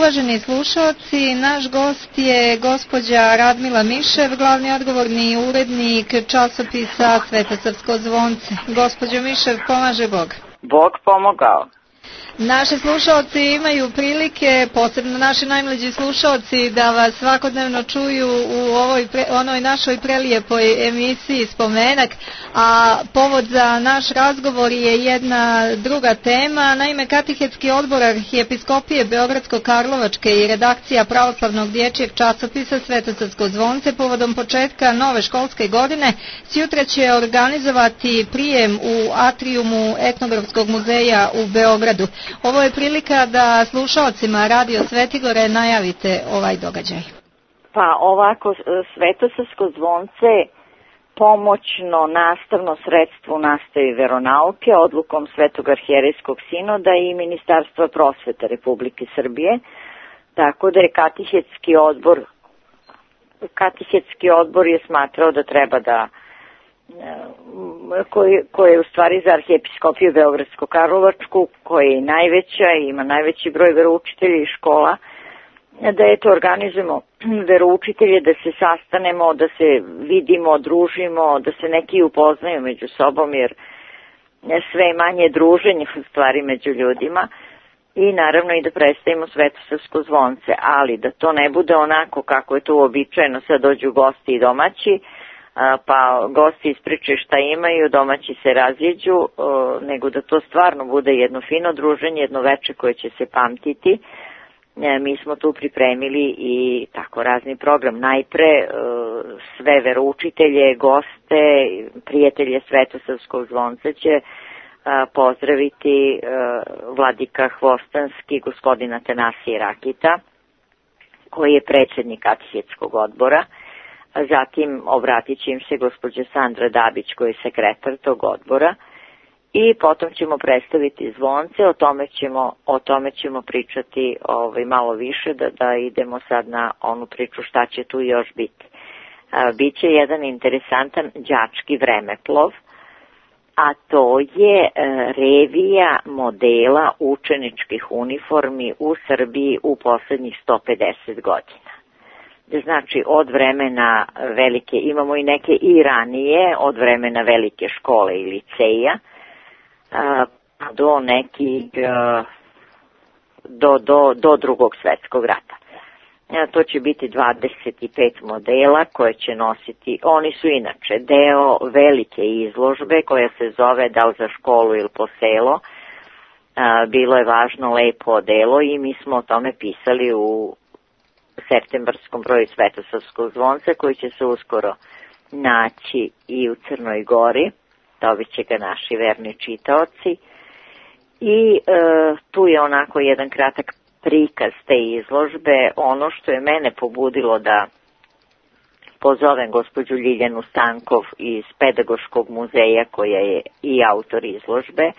uvaženi slušalci, naš gost je gospođa Radmila Mišev, glavni odgovorni urednik časopisa Svetosavsko zvonce. Gospođo Mišev, pomaže Bog. Bog pomogao. Naši slušalci imaju prilike, posebno naši najmlađi slušalci, da vas svakodnevno čuju u onoj našoj prelijepoj emisiji Spomenak, a povod za naš razgovor je jedna druga tema. Naime, Katehetski odbor Arhijepiskopije Beogradsko-Karlovačke i redakcija pravoslavnog dječjeg časopisa Svetosavsko zvonce povodom početka nove školske godine sjutra će organizovati prijem u atrijumu Etnografskog muzeja u Beogradu. Ovo je prilika da slušalcima Radio Svetigore najavite ovaj događaj. Pa ovako, Svetosavsko zvonce pomoćno nastavno sredstvo u nastavi veronauke odlukom Svetog arhijerejskog sinoda i Ministarstva prosvete Republike Srbije, tako da je Katehetski odbor je smatrao da treba da koje je u stvari za Arhijepiskopiju Beogradsko-Karlovačku, koja je najveća i ima najveći broj veroučitelja i škola, da eto organizujemo veroučitelje, da se sastanemo, da se vidimo, družimo, da se neki upoznaju među sobom, jer sve manje druženje u stvari među ljudima, i naravno i da predstavimo Svetosavsko zvonce, ali da to ne bude onako kako je to uobičajeno, sad dođu gosti i domaći, pa gosti ispričaju šta imaju, domaći se razjeđu, nego da to stvarno bude jedno fino druženje, jedno veče koje će se pamtiti. Mi smo tu pripremili i tako razni program. Najpre sve veroučitelje, goste, prijatelje Svetosavskog zvonca će pozdraviti vladika Hvostanski, gospodin Atanasije Rakita, koji je predsjednik Katehetskog odbora. Zatim obratit će im se gospođa Sandra Dabić, koji je sekretar tog odbora, i potom ćemo predstaviti zvonce, o tome ćemo pričati malo više, da idemo sad na onu priču šta će tu još biti. Biće jedan interesantan đački vremeplov, a to je revija modela učeničkih uniformi u Srbiji u poslednjih 150 godina. Znači, od vremena velike, imamo i neke i ranije, od vremena velike škole i liceja, do nekih, do Drugog svjetskog rata. To će biti 25 modela koje će nositi, oni su inače deo velike izložbe koja se zove Da li za školu ili po selo. Bilo je važno lepo odelo i mi smo o tome pisali u septembarskom broju Svetosavskog zvonca, koji će se uskoro naći i u Crnoj Gori, dobit će ga naši verni čitaoci. I tu je onako jedan kratak prikaz te izložbe. Ono što je mene pobudilo da pozovem gospođu Ljiljanu Stankov iz Pedagoškog muzeja, koja je i autor izložbe,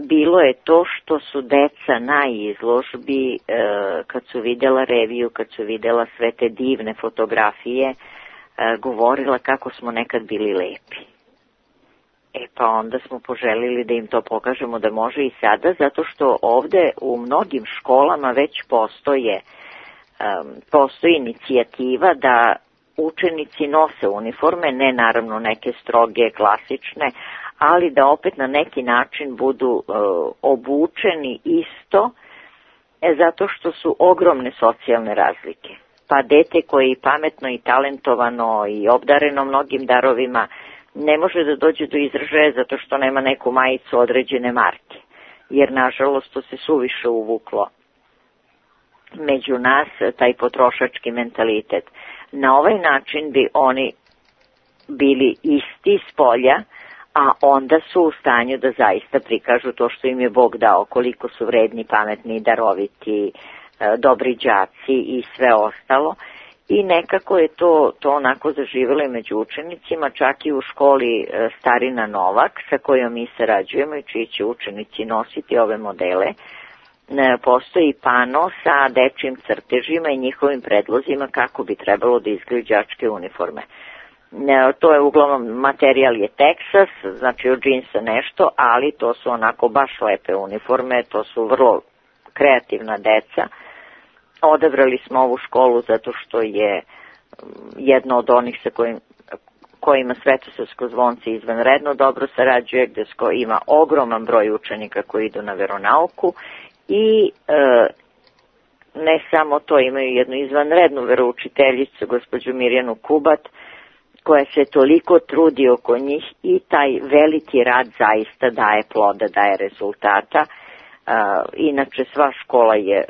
bilo je to što su deca na izložbi, kad su vidjela reviju, kad su vidjela sve te divne fotografije, govorila kako smo nekad bili lepi. Pa onda smo poželili da im to pokažemo da može i sada, zato što ovde u mnogim školama već postoji inicijativa da učenici nose uniforme, ne naravno neke stroge, klasične, ali da opet na neki način budu obučeni isto, zato što su ogromne socijalne razlike. Pa dete koje je pametno i talentovano i obdareno mnogim darovima ne može da dođe do izražaja zato što nema neku majicu određene marke, jer nažalost to se suviše uvuklo među nas, taj potrošački mentalitet. Na ovaj način bi oni bili isti s polja, a onda su u stanju da zaista prikažu to što im je Bog dao, koliko su vredni, pametni, daroviti, dobri đaci i sve ostalo. I nekako je to onako zaživjelo i među učenicima, čak i u školi Starina Novak, sa kojom mi sarađujemo i čiji će učenici nositi ove modele. Postoji pano sa dečjim crtežima i njihovim predlozima kako bi trebalo da izgledaju đačke uniforme. To je uglavnom, materijal je Texas, znači od džinsa nešto, ali to su onako baš lepe uniforme, to su vrlo kreativna deca. Odabrali smo ovu školu zato što je jedna od onih sa kojima Svetosavsko zvonce izvanredno dobro sarađuje, gde ima ogroman broj učenika koji idu na veronauku i ne samo to, imaju jednu izvanrednu veroučiteljicu, gospođu Mirjanu Kubat, koja se toliko trudi oko njih i taj veliki rad zaista daje ploda, daje rezultata. Inače, sva škola je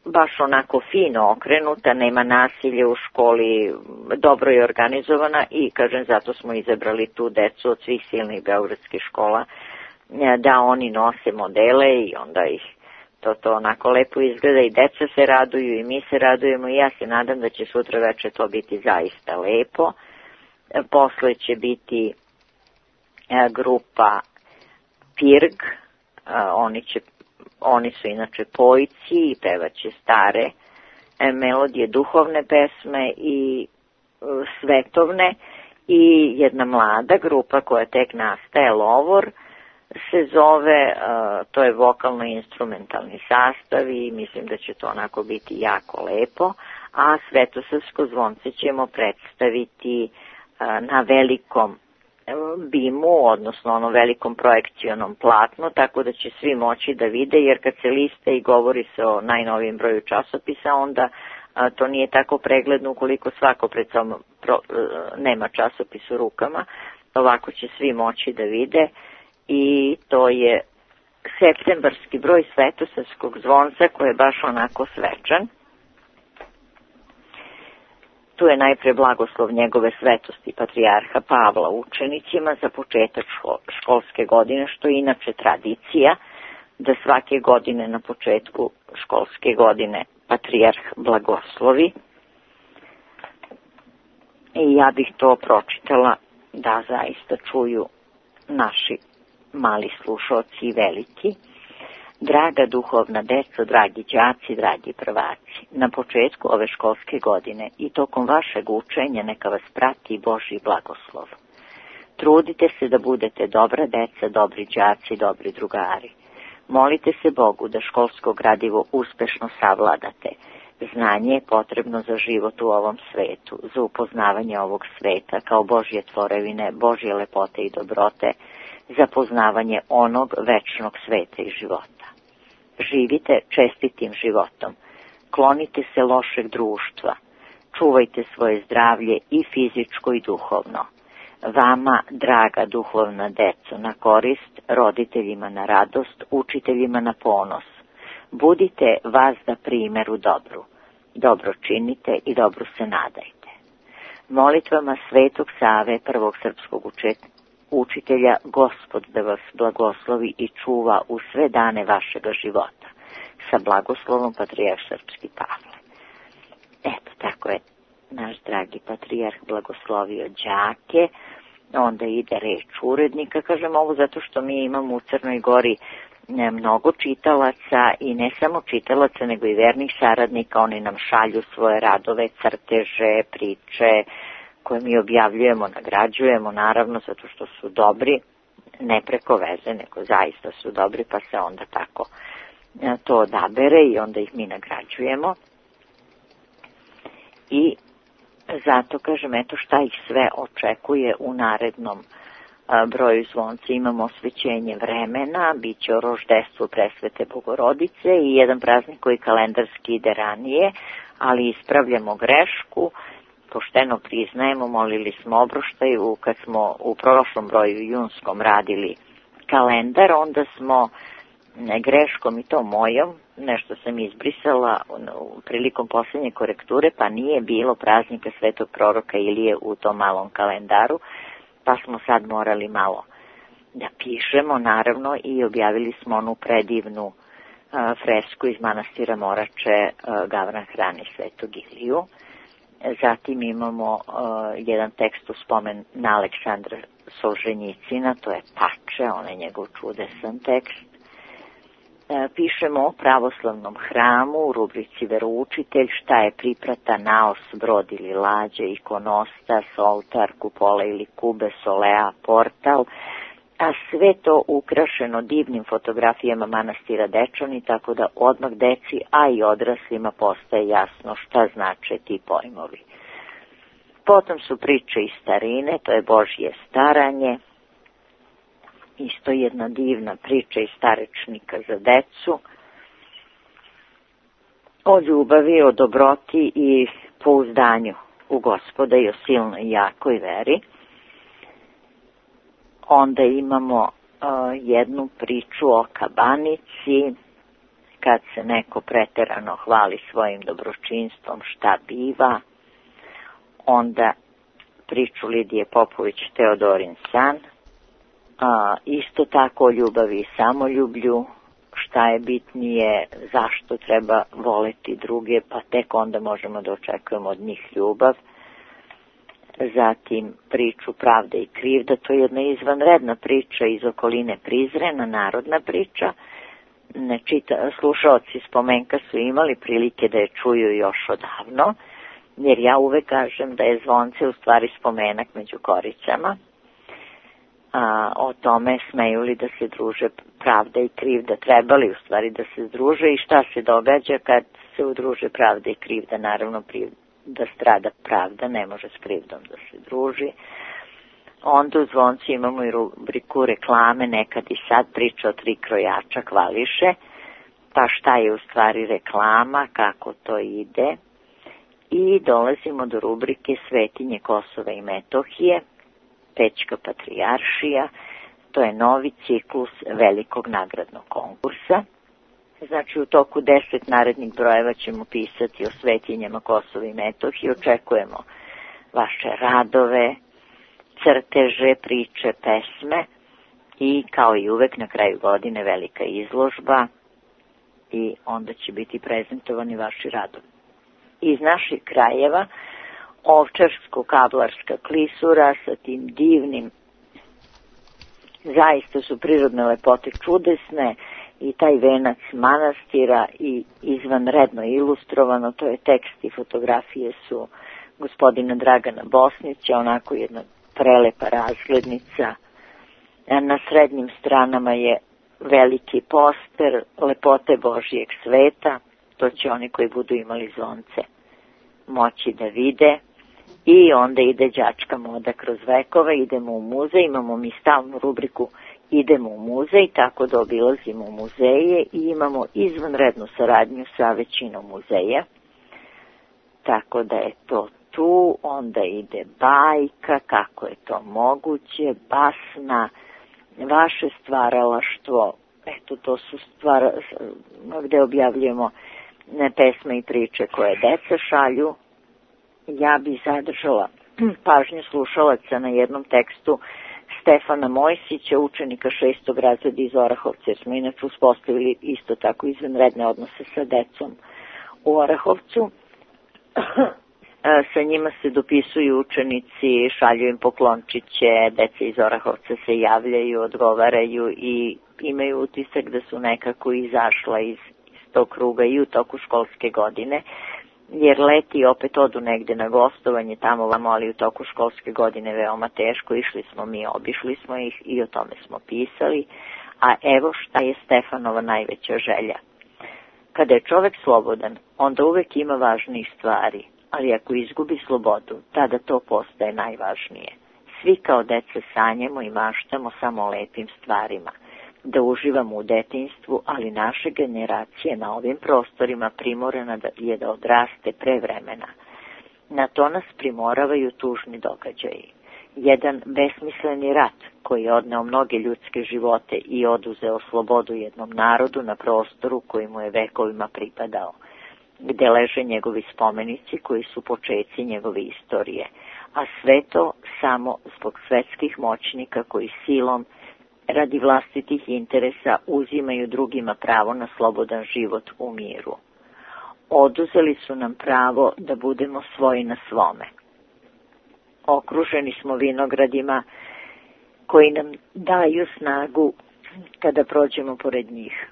baš onako fino okrenuta, nema nasilja u školi, dobro je organizovana i, kažem, zato smo izabrali tu decu od svih silnih beogradskih škola, da oni nose modele i onda ih to onako lepo izgleda i deca se raduju i mi se radujemo i ja se nadam da će sutra veče to biti zaista lepo. Posle će biti grupa Pirg, oni su inače pojci i pevaće stare melodije, duhovne pesme i svetovne, i jedna mlada grupa koja tek nastaje, Lovor se zove, to je vokalno-instrumentalni sastav i mislim da će to onako biti jako lepo, a Svetosavsko zvonce ćemo predstaviti na velikom bimu, odnosno onom velikom projekcionom platnu, tako da će svi moći da vide, jer kad se liste i govori se o najnovijem broju časopisa, onda to nije tako pregledno ukoliko svako pred sobom nema časopis u rukama. Ovako će svi moći da vide i to je septembarski broj Svetosavskog zvonca koji je baš onako svečan. Tu je najpre blagoslov njegove svetosti patrijarha Pavla učenicima za početak školske godine, što je inače tradicija da svake godine na početku školske godine patrijarh blagoslovi. I ja bih to pročitala da zaista čuju naši mali slušalci i veliki. Draga duhovna deco, dragi đaci, dragi prvaci, na početku ove školske godine i tokom vašeg učenja neka vas prati Božji blagoslov. Trudite se da budete dobra deca, dobri đaci, dobri drugari. Molite se Bogu da školsko gradivo uspešno savladate. Znanje je potrebno za život u ovom svetu, za upoznavanje ovog sveta kao Božje tvorevine, Božje lepote i dobrote, za poznavanje onog večnog sveta i života. Živite čestitim životom, klonite se lošeg društva, čuvajte svoje zdravlje i fizičko i duhovno. Vama, draga duhovna deco, na korist, roditeljima na radost, učiteljima na ponos. Budite vazda primjer u dobru. Dobro činite i dobro se nadajte. Molitvama Svetog Save, prvog srpskog učitelja, Gospod da vas blagoslovi i čuva u sve dane vašega života. Sa blagoslovom patrijarh srpski Pavle. Eto, tako je naš dragi patrijarh blagoslovio đake. Onda ide reč urednika. Kažem ovo zato što mi imamo u Crnoj Gori mnogo čitalaca i ne samo čitalaca nego i vernih saradnika. Oni nam šalju svoje radove, crteže, priče koje mi objavljujemo, nagrađujemo naravno zato što su dobri, ne preko veze nego zaista su dobri, pa se onda tako to odabere i onda ih mi nagrađujemo. I zato kažem, eto šta ih sve očekuje u narednom broju zvonca. Imamo osvećenje vremena, bit će o roždestvu Presvete Bogorodice i jedan praznik koji kalendarski ide ranije, ali ispravljamo grešku, pošteno priznajemo, molili smo obroštaju, kad smo u prošlom broju junskom radili kalendar, onda smo greškom i to mojom, nešto sam izbrisala prilikom posljednje korekture, pa nije bilo praznika Svetog proroka Ilije u tom malom kalendaru, pa smo sad morali malo da pišemo, naravno, i objavili smo onu predivnu fresku iz manastira Morače, Gavran hrani Svetog Iliju. Zatim imamo jedan tekst u spomen na Aleksandra Solženjicina, to je Pače, on je njegov čudesan tekst. Pišemo o pravoslavnom hramu u rubrici Veroučitelj, šta je priprata, naos, brod ili lađa, ikonostas, oltar, kupola ili kube, solea, portal, a sve to ukrašeno divnim fotografijama manastira Dečani, tako da odmah deci, a i odraslima postaje jasno šta znače ti pojmovi. Potom su priče iz starine, to je Božje staranje, isto jedna divna priča iz starečnika za decu, o ljubavi, o dobroti i pouzdanju u Gospoda i o silnoj i jakoj veri. Onda imamo jednu priču o kabanici, kad se neko preterano hvali svojim dobročinstvom, šta biva. Onda priču Lidije Popović, Teodorin san, isto tako o ljubavi i samoljublju, šta je bitnije, zašto treba voleti druge, pa tek onda možemo da očekujemo od njih ljubav. Zatim priču Pravda i krivda, to je jedna izvanredna priča iz okoline Prizrena, narodna priča. Slušaoci Spomenka su imali prilike da je čuju još odavno, jer ja uvek kažem da je zvonce u stvari spomenak među koricama. O tome smeju li da se druže pravda i krivda, trebali u stvari da se združe i šta se događa kad se udruže pravda i krivda. Naravno da strada pravda, ne može s krivdom da se druži. Onda u zvonci imamo i rubriku reklame, nekad i sad, priča o 3 krojača hvališe, pa šta je u stvari reklama, kako to ide. I dolazimo do rubrike Svetinje Kosova i Metohije, Pećka patrijaršija, to je novi ciklus velikog nagradnog konkursa. Znači u toku 10 narednih brojeva ćemo pisati o svetinjama Kosova i Metohije, očekujemo vaše radove, crteže, priče, pesme i kao i uvek na kraju godine velika izložba i onda će biti prezentovani vaši radovi. Iz naših krajeva Ovčarsko-Kablarska klisura sa tim divnim, zaista su prirodne lepote čudesne i taj venac manastira i izvanredno ilustrovano, to je tekst i fotografije su gospodina Dragana Bosnića, onako jedna prelepa razglednica. Na srednjim stranama je veliki poster lepote Božijeg sveta, to će oni koji budu imali zvonce moći da vide. I onda ide đačka moda kroz vekove, idemo u muzej, imamo mi stalnu rubriku idemo u muzej, tako da obilazimo u muzeje i imamo izvanrednu saradnju sa većinom muzeja. Tako da je to tu, onda ide bajka, kako je to moguće, basna, vaše stvaralaštvo, eto to su gde objavljujemo pesme i priče koje deca šalju. Ja bi zadržala pažnju slušalaca na jednom tekstu Stefana Mojsića, učenika 6. razreda iz Orahovca, jer smo inače uspostavili isto tako izvanredne odnose sa decom u Orahovcu. Sa njima se dopisuju učenici, šalju im poklončiće, deca iz Orahovca se javljaju, odgovaraju i imaju utisak da su nekako izašla iz tog kruga i u toku školske godine, jer leti opet odu negde na gostovanje tamo vamo, ali u toku školske godine veoma teško, išli smo mi, obišli smo ih i o tome smo pisali, a evo šta je Stefanova najveća želja. Kada je čovek slobodan, onda uvek ima važnijih stvari, ali ako izgubi slobodu, tada to postaje najvažnije. Svi kao deca sanjamo i maštamo samo o lepim stvarima, da uživamo u detinjstvu, ali naše generacije na ovim prostorima primorana je da odraste pre vremena. Na to nas primoravaju tužni događaji. Jedan besmisleni rat koji je odneo mnoge ljudske živote i oduzeo slobodu jednom narodu na prostoru koji mu je vekovima pripadao, gde leže njegovi spomenici koji su počeci njegove istorije, a sve to samo zbog svetskih moćnika koji silom radi vlastitih interesa uzimaju drugima pravo na slobodan život u miru. Oduzeli su nam pravo da budemo svoji na svome. Okruženi smo vinogradima koji nam daju snagu kada prođemo pored njih.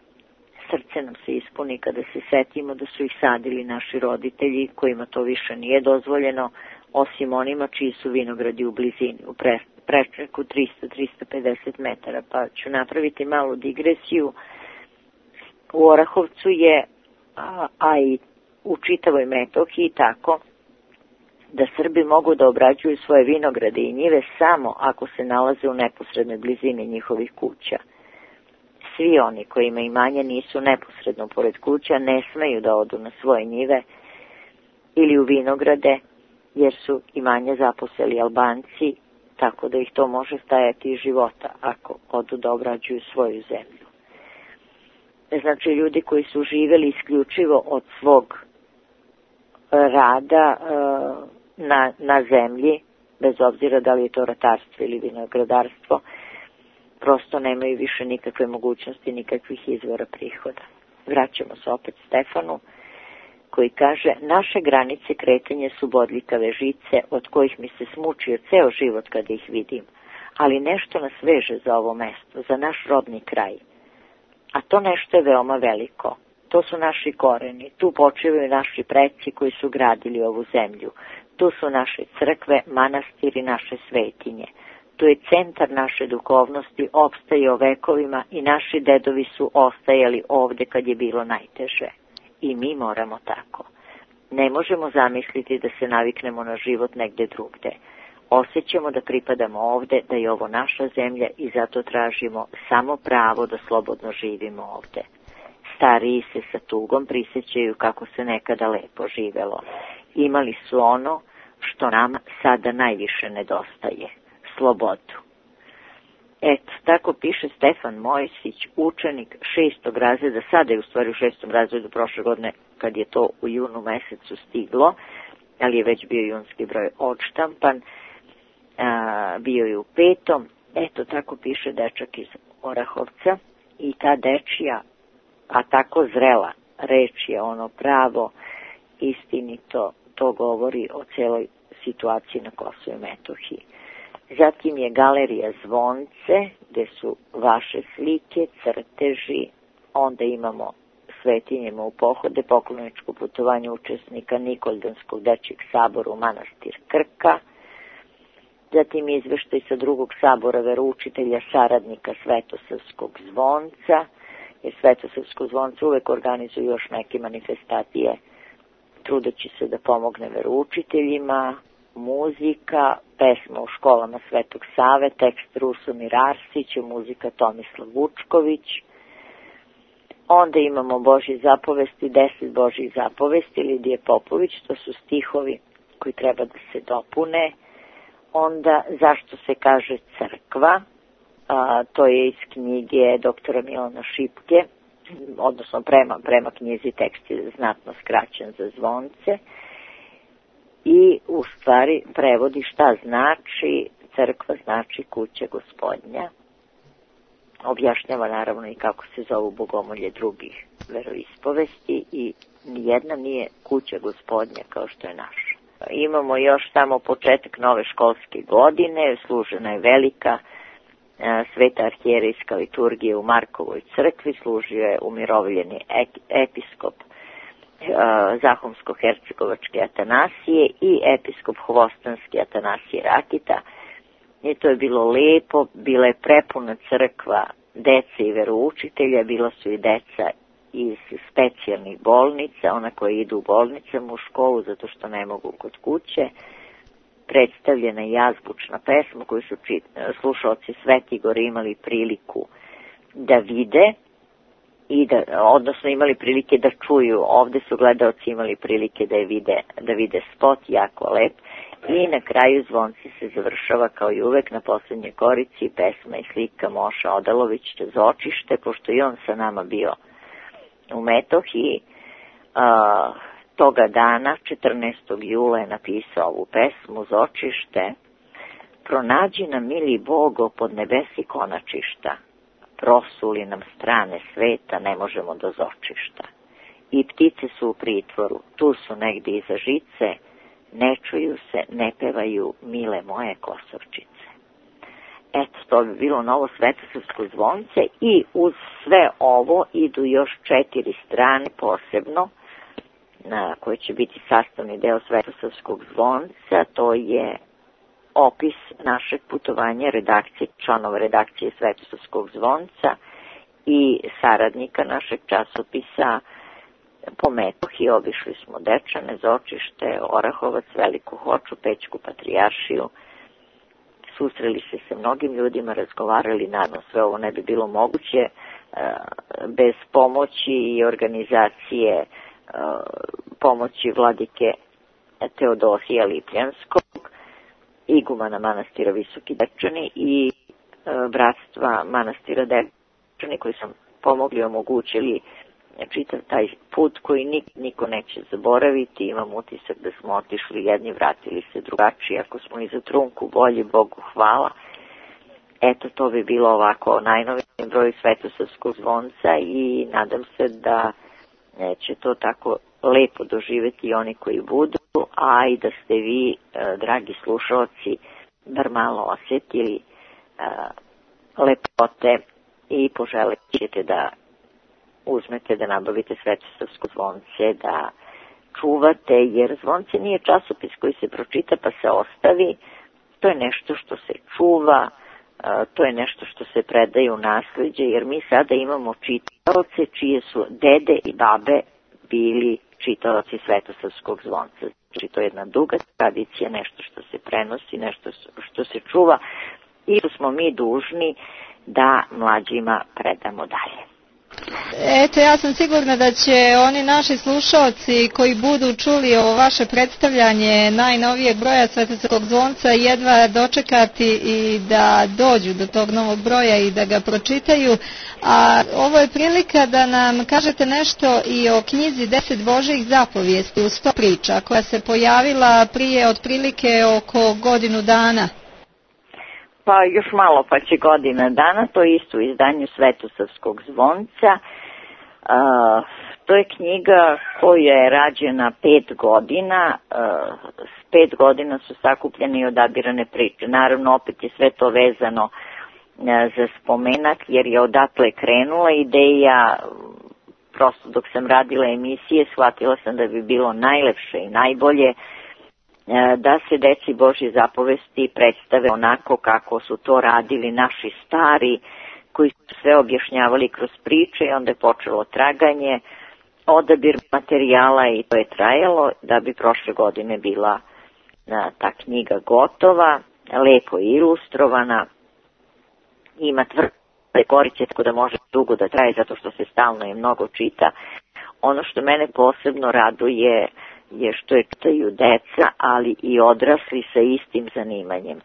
Srce nam se ispuni kada se setimo da su ih sadili naši roditelji kojima to više nije dozvoljeno, osim onima čiji su vinogradi u blizini, u prečniku 300-350 metara, pa ću napraviti malu digresiju. U Orahovcu je, a i u čitavoj Metohiji tako, da Srbi mogu da obrađuju svoje vinograde i njive samo ako se nalaze u neposrednoj blizini njihovih kuća. Svi oni kojima imanja nisu neposredno pored kuća ne smeju da odu na svoje njive ili u vinograde, jer su imanja zaposeli Albanci, tako da ih to može stajati iz života ako odu da obrađuju svoju zemlju. Znači, ljudi koji su živjeli isključivo od svog rada na zemlji, bez obzira da li je to ratarstvo ili vinogradarstvo, prosto nemaju više nikakve mogućnosti, nikakvih izvora prihoda. Vraćamo se opet Stefanu, koji kaže: naše granice kretanja su bodljikave žice, od kojih mi se smučio ceo život kada ih vidim, ali nešto nas veže za ovo mesto, za naš rodni kraj. A to nešto je veoma veliko. To su naši koreni, tu počivaju naši preci koji su gradili ovu zemlju. Tu su naše crkve, manastiri, naše svetinje. Tu je centar naše duhovnosti, opstaje o vekovima i naši dedovi su ostajali ovde kad je bilo najteže. I mi moramo tako. Ne možemo zamisliti da se naviknemo na život negde drugde. Osjećamo da pripadamo ovde, da je ovo naša zemlja i zato tražimo samo pravo da slobodno živimo ovde. Stariji se sa tugom prisjećaju kako se nekada lepo živelo. Imali su ono što nam sada najviše nedostaje, slobodu. Eto, tako piše Stefan Mojsić, učenik 6. razreda, sada je u stvari u 6. razredu prošle godine kad je to u junu mesecu stiglo, ali je već bio junski broj odštampan, bio je u 5. Eto, tako piše dečak iz Orahovca i ta dečija, a tako zrela reč je ono pravo, istinito, to govori o celoj situaciji na Kosovu i Metohiji. Zatim je galerija Zvonce, gde su vaše slike, crteži, onda imamo svetinjima u pohode, pokloničko putovanje učesnika Nikoldanskog dečjeg sabora u manastir Krka, zatim izveštaj sa drugog sabora veroučitelja saradnika Svetosavskog zvonca, jer Svetosavsko zvonce uvek organizuju još neke manifestacije, trudeći se da pomogne veroučiteljima, muzika, pesma u školama Svetog Save, tekst Rusomir Arsić, muzika Tomislav Vučković. Onda imamo Božje zapovesti, 10 Božjih zapovesti, Lidije Popović, to su stihovi koji treba da se dopune. Onda zašto se kaže crkva, to je iz knjige doktora Milana Šipke, odnosno prema knjizi tekst je znatno skraćen za Zvonce. I u stvari prevodi šta znači crkva, znači kuća Gospodnja. Objašnjava naravno i kako se zovu bogomolje drugih veroispovesti i nijedna nije kuća Gospodnja kao što je naša. Imamo još samo početak nove školske godine, služena je velika sveta arhijerejska liturgija u Markovoj crkvi, služio je umirovljeni episkop Zahumsko-hercegovačke Atanasije i episkop Hvostanski Atanasije Rakita. I to je bilo lepo, bila je prepuna crkva dece i veroučitelja, bila su i deca iz specijalnih bolnica, ona koja idu u bolnicama u školu zato što ne mogu kod kuće. Predstavljena je azbučna pesma koju su slušaoci Svetigora imali priliku da vide, odnosno imali prilike da čuju. Ovde su gledaoci imali prilike da vide spot, jako lep. I na kraju Zvonci se završava kao i uvek na poslednjoj korici pesma i slika Moša Odalovića Zočište, pošto i on sa nama bio u Metohiji. Toga dana, 14. jula, je napisao ovu pesmu Zočište. Pronađi nam, mili Bogo, pod nebesi konačišta. Prosuli nam strane sveta, ne možemo do Zočišta. I ptice su u pritvoru, tu su negdje iza žice, ne čuju se, ne pevaju, mile moje Kosovčice. Eto, to bi bilo novo Svetosavsko zvonce i uz sve ovo idu još 4 strane posebno, koje će biti sastavni deo Svetosavskog zvonca, to je opis našeg putovanja redakcije, članova redakcije Svetosavskog zvonca i saradnika našeg časopisa. Po Metohiji obišli smo Dečane, Zočište, Orahovac, Veliku Hoču, Pećku Patrijaršiju. Susreli se sa mnogim ljudima, razgovarali, naravno sve ovo ne bi bilo moguće bez pomoći i organizacije pomoći vladike Teodosija Lipljanskog, igumana manastira Visoki Dečani i bratstva manastira Dečani koji su pomogli, omogućili čitav taj put koji niko neće zaboraviti. Imam utisak da smo otišli jedni, vratili se drugačiji, ako smo i za trunku bolji, Bogu hvala. Eto, to bi bilo ovako najnoviji broj Svetosavskog zvonca i nadam se da će to tako lepo doživjeti i oni koji budu, a i da ste vi, dragi slušalci, bar malo osjetili lepote i poželit ćete da uzmete, da nabavite Svetosavsko zvonce, da čuvate, jer zvonce nije časopis koji se pročita pa se ostavi, to je nešto što se čuva, to je nešto što se predaje u nasleđe, jer mi sada imamo čitaoce čije su dede i babe bili čitaoci Svetosavskog zvonca. Znači, to je jedna duga tradicija, nešto što se prenosi, nešto što se čuva i što smo mi dužni da mlađima predamo dalje. Eto, ja sam sigurna da će oni naši slušalci koji budu čuli ovo vaše predstavljanje najnovijeg broja Svetosavskog zvonca jedva dočekati i da dođu do tog novog broja i da ga pročitaju. A ovo je prilika da nam kažete nešto i o knjizi 10 Božjih zapovijesti u 100 priča koja se pojavila prije otprilike oko godinu dana. Pa još malo pa će godina dana, to je isto u izdanju Svetosavskog zvonca. To je knjiga koja je rađena 5 godina, s 5 godina su sakupljene i odabirane priče. Naravno, opet je sve to vezano za spomenak, jer je odatle krenula ideja. Prosto dok sam radila emisije, shvatila sam da bi bilo najlepše i najbolje da se deci Božje zapovesti predstave onako kako su to radili naši stari, koji su sve objašnjavali kroz priče i onda je počelo traganje, odabir materijala i to je trajalo da bi prošle godine bila ta knjiga gotova, lepo ilustrovana, ima tvrde korice tako da može dugo da traje zato što se stalno i mnogo čita. Ono što mene posebno raduje je što je čitaju deca, ali i odrasli sa istim zanimanjem.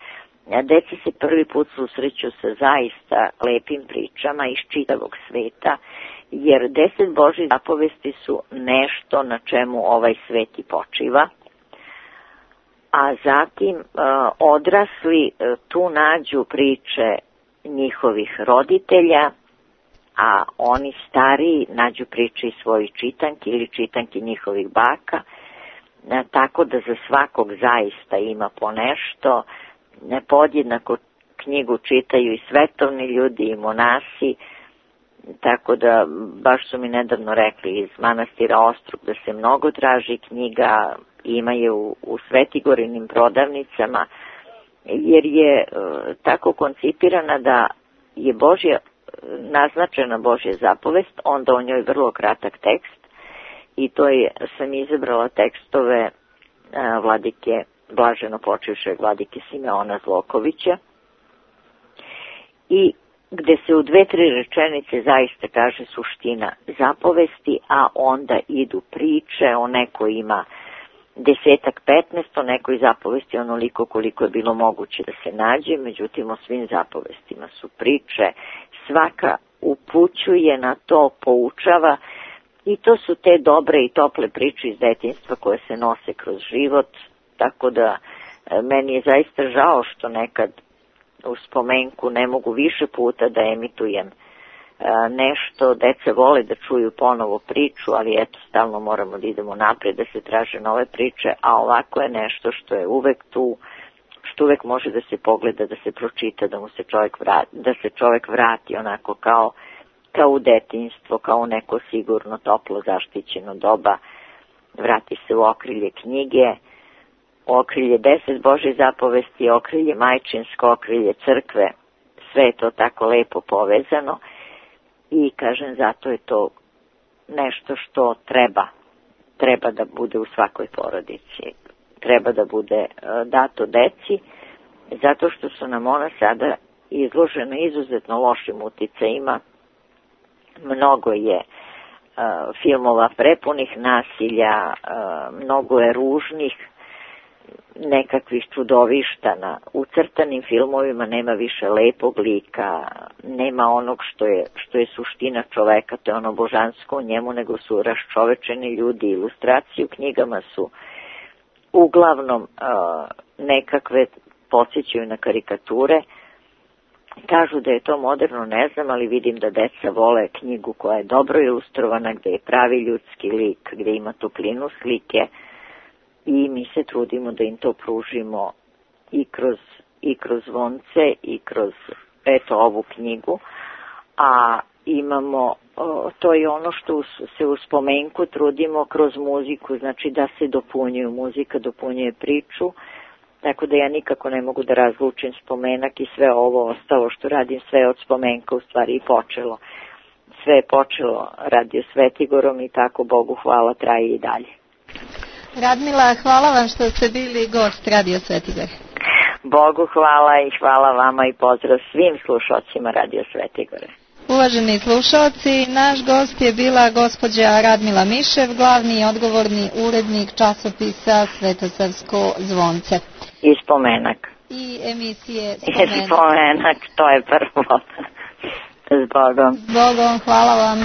Deca se prvi put susreću sa zaista lepim pričama iz čitavog sveta, jer 10 Božjih zapovesti su nešto na čemu ovaj svet i počiva, a zatim odrasli tu nađu priče njihovih roditelja, a oni stariji nađu priče iz svojih čitanki ili čitanki njihovih baka, tako da za svakog zaista ima po nešto. Podjednako knjigu čitaju i svetovni ljudi i monasi, tako da baš su mi nedavno rekli iz manastira Ostrog da se mnogo traži knjiga, ima je u Svetigorinim prodavnicama, jer je tako koncipirana da je naznačena Božja zapovest, onda o njoj vrlo kratak tekst i to sam izabrala tekstove vladike, blaženo počivšeg vladike Simeona Zlokovića, i gde se u 2-3 rečenice zaista kaže suština zapovesti, a onda idu priče, o neko ima 10-15, o nekoj zapovesti onoliko koliko je bilo moguće da se nađe, međutim o svim zapovestima su priče, svaka upućuje na to, poučava, i to su te dobre i tople priče iz detinjstva koje se nose kroz život, tako da meni je zaista žao što nekad u spomenku ne mogu više puta da emitujem nešto. Deca vole da čuju ponovo priču, ali eto, stalno moramo da idemo napred, da se traže nove priče, a ovako je nešto što je uvek tu, što uvek može da se pogleda, da se pročita, da se čovjek vrati onako kao u detinjstvo, kao u neko sigurno, toplo, zaštićeno doba, vrati se u okrilje knjige, okrilje 10 Božje zapovesti, okrilje majčinsko, okrilje crkve, sve je to tako lepo povezano i kažem zato je to nešto što treba da bude u svakoj porodici, treba da bude dato deci, zato što su nam ona sada izložena izuzetno lošim uticajima. Mnogo je filmova prepunih nasilja, mnogo je ružnih nekakvih čudovišta na ucrtanim filmovima, nema više lepog lika, nema onog što je suština čoveka, to je ono božansko u njemu, nego su raščovečeni ljudi. Ilustracije u knjigama su uglavnom nekakve podsjećaju na karikature. Kažu da je to moderno, ne znam, ali vidim da deca vole knjigu koja je dobro ilustrovana, gde je pravi ljudski lik, gde ima toplinu slike i mi se trudimo da im to pružimo i kroz zvonce i kroz ovu knjigu. A imamo, to je ono što se u spomenku trudimo kroz muziku, znači da se dopunjuju, muzika dopunjuje priču. Tako da ja nikako ne mogu da razlučim spomenak i sve ovo ostalo što radim, sve od spomenka u stvari i počelo. Sve je počelo Radio Svetigorom i tako Bogu hvala traje i dalje. Radmila, hvala vam što ste bili gost Radio Svetigor. Bogu hvala i hvala vama i pozdrav svim slušalcima Radio Svetigore. Uvaženi slušalci, naš gost je bila gospođa Radmila Mišev, glavni i odgovorni urednik časopisa Svetosavsko zvonce. I spomenak. I emisije Spomenak. I spomenak, to je prvo. S Bogom. S Bogom, hvala vam.